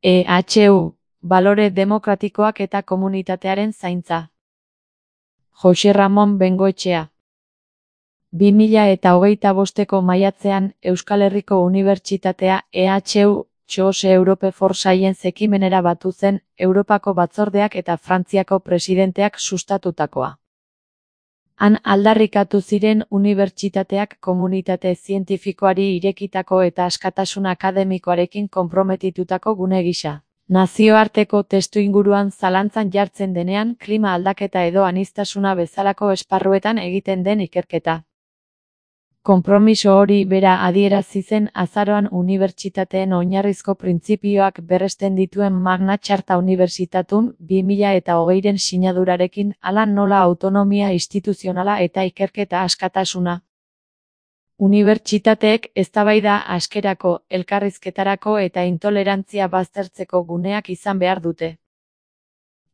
EHU, balore demokratikoak eta komunitatearen zaintza. Jose Ramon Bengoetxea. 2025ko maiatzean Euskal Herriko Unibertsitatea EHU Choose Europe for Science ekimenera batu zen Europako Batzordeak eta Frantziako presidenteak sustatutakoa. Han aldarrikatu ziren unibertsitateak komunitate zientifikoari irekitako eta askatasun akademikoarekin konprometitutako gune gisa. Nazioarteko testuinguruan zalantzan jartzen denean klima aldaketa edo aniztasuna bezalako esparruetan egiten den ikerketa. Konpromiso hori bera adierazi zen azaroan unibertsitateen oinarrizko printzipioak berresten dituen Magna Charta Unibertsitatun 2020ren sinadurarekin, hala nola autonomia instituzionala eta ikerketa askatasuna. Unibertsitateek eztabaida askerako, elkarrizketarako eta intolerantzia baztertzeko guneak izan behar dute.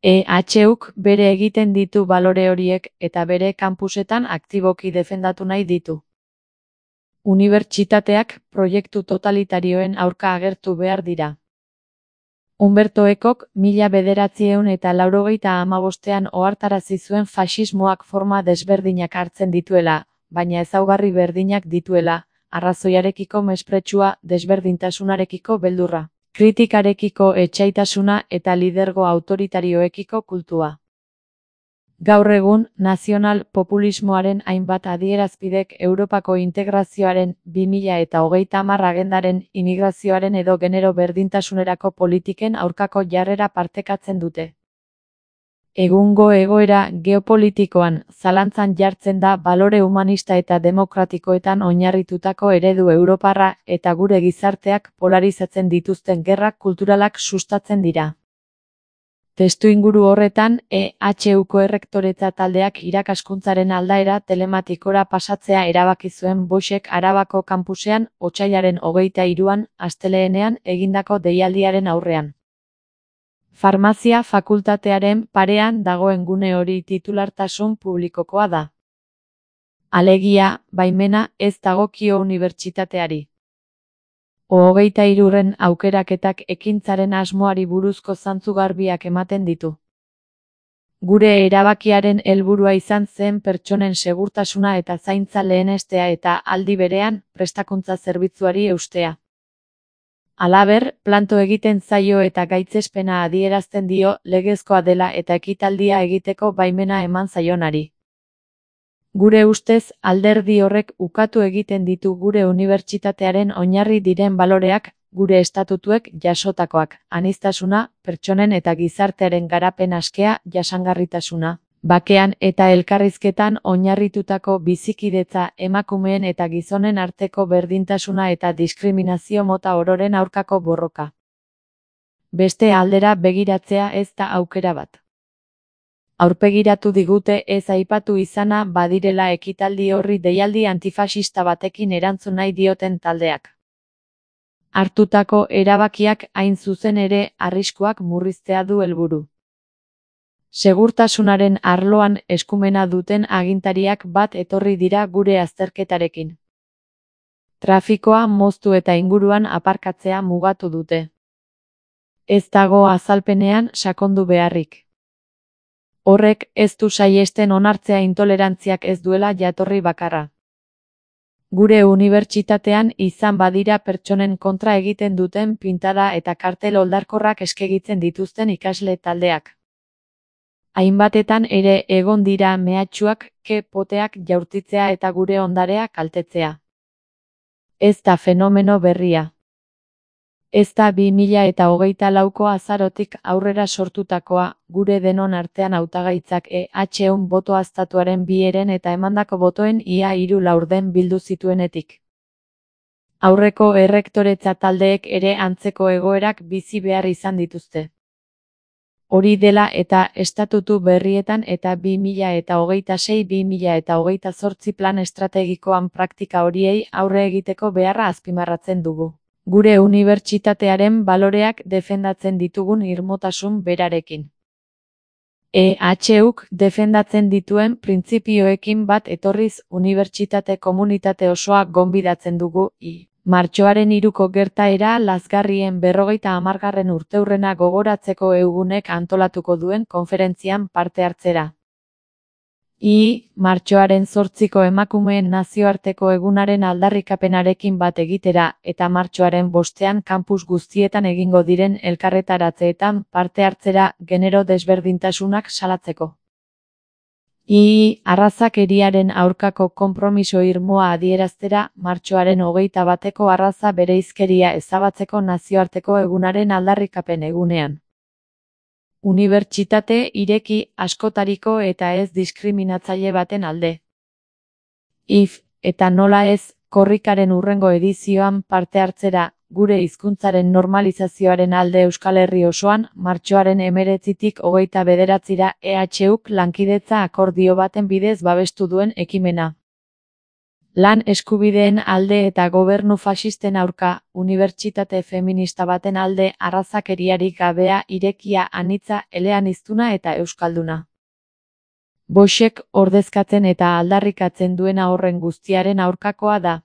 EHUk bere egiten ditu balore horiek eta bere kampusetan aktiboki defendatu nahi ditu. Unibertsitateak proiektu totalitarioen aurka agertu behar dira. Umberto Ecok 1985ean ohartarazi zuen faxismoak forma desberdinak hartzen dituela, baina ezaugarri berdinak dituela, arrazoiarekiko mespretxua, desberdintasunarekiko beldurra, kritikarekiko etsaitasuna eta lidergo autoritarioekiko kultua. Gaur egun, nazional populismoaren hainbat adierazpidek Europako integrazioaren 2030 agendaren immigrazioaren edo genero berdintasunerako politiken aurkako jarrera partekatzen dute. Egungo egoera geopolitikoan zalantzan jartzen da balore humanista eta demokratikoetan oinarritutako eredu europarra eta gure gizarteak polarizatzen dituzten gerrak kulturalak sustatzen dira. Testuinguru horretan, EHUko errektoretza taldeak irakaskuntzaren aldaera telematikora pasatzea erabaki zuen Boixek Arabako kanpusean otsailaren 23an, asteleenean egindako deialdiaren aurrean. Farmazia fakultatearen parean dagoen gune hori titulartasun publikokoa da. Alegia, baimena ez dagokio unibertsitateari. 23ren aukeraketak ekintzaren asmoari buruzko zantzu garbiak ematen ditu. Gure erabakiaren helburua izan zen pertsonen segurtasuna eta zaintza lehenestea eta aldi berean prestakuntza zerbitzuari eustea. Halaber, planto egiten zaio eta gaitzespena adierazten dio legezkoa dela eta ekitaldia egiteko baimena eman zaionari. Gure ustez, alderdi horrek ukatu egiten ditu gure unibertsitatearen oinarri diren baloreak, gure estatutuek jasotakoak, aniztasuna, pertsonen eta gizartearen garapen askea, jasangarritasuna, bakean eta elkarrizketan oinarritutako bizikidetza, emakumeen eta gizonen arteko berdintasuna eta diskriminazio mota ororen aurkako borroka. Beste aldera begiratzea ez da aukera bat. Aurpegiratu digute ez aipatu izana badirela ekitaldi horri deialdi antifaxista batekin erantzun nahi dioten taldeak. Hartutako erabakiak hain zuzen ere arriskuak murriztea du helburu. Segurtasunaren arloan eskumena duten agintariak bat etorri dira gure azterketarekin. Trafikoa moztu eta inguruan aparkatzea mugatu dute. Ez dago azalpenean sakondu beharrik. Horrek ez du saihesten onartzea intolerantziak ez duela jatorri bakarra. Gure unibertsitatean izan badira pertsonen kontra egiten duten pintada eta kartel oldarkorrak eskegitzen dituzten ikasle taldeak. Hainbatetan ere egon dira mehatxuak, poteak jaurtitzea eta gure ondarea kaltetzea. Ez da fenomeno berria. Ez da 2024ko azarotik aurrera sortutakoa, gure denon artean hautagaitzak EHUn boto aztatuaren 2 heren eta emandako botoen ia 3/4 bildu zituenetik. Aurreko errektoretza taldeek ere antzeko egoerak bizi behar izan dituzte. Hori dela eta estatutu berrietan eta 2026-2028 plan estrategikoan praktika horiei aurre egiteko beharra azpimarratzen dugu. Gure unibertsitatearen baloreak defendatzen ditugun irmotasun berarekin. EHUk defendatzen dituen printzipioekin bat etorriz unibertsitate komunitate osoa gonbidatzen dugu Martxoaren 3ko gertaera lazgarrien 50. urteurrena gogoratzeko egunek antolatuko duen konferentzian parte hartzera. Martxoaren 8ko emakumeen nazioarteko egunaren aldarrikapenarekin bat egitera eta martxoaren 5ean kampus guztietan egingo diren elkarretaratzeetan parte hartzera genero desberdintasunak salatzeko. Arrazakeriaren aurkako konpromiso irmoa adieraztera martxoaren 21ko arraza bereizkeria ezabatzeko nazioarteko egunaren aldarrikapen egunean. Unibertsitate ireki, askotariko eta ez diskriminatzaile baten alde. Eta nola ez, korrikaren hurrengo edizioan parte hartzera, gure hizkuntzaren normalizazioaren alde Euskal Herri osoan, martxoaren 19tik 29ra EHUk lankidetza akordio baten bidez babestu duen ekimena. Lan eskubideen alde eta gobernu faxisten aurka, unibertsitate feminista baten alde arrazakeriarik gabea irekia anitza eleaniztuna eta euskalduna. Boixek ordezkatzen eta aldarrikatzen duena horren guztiaren aurkakoa da.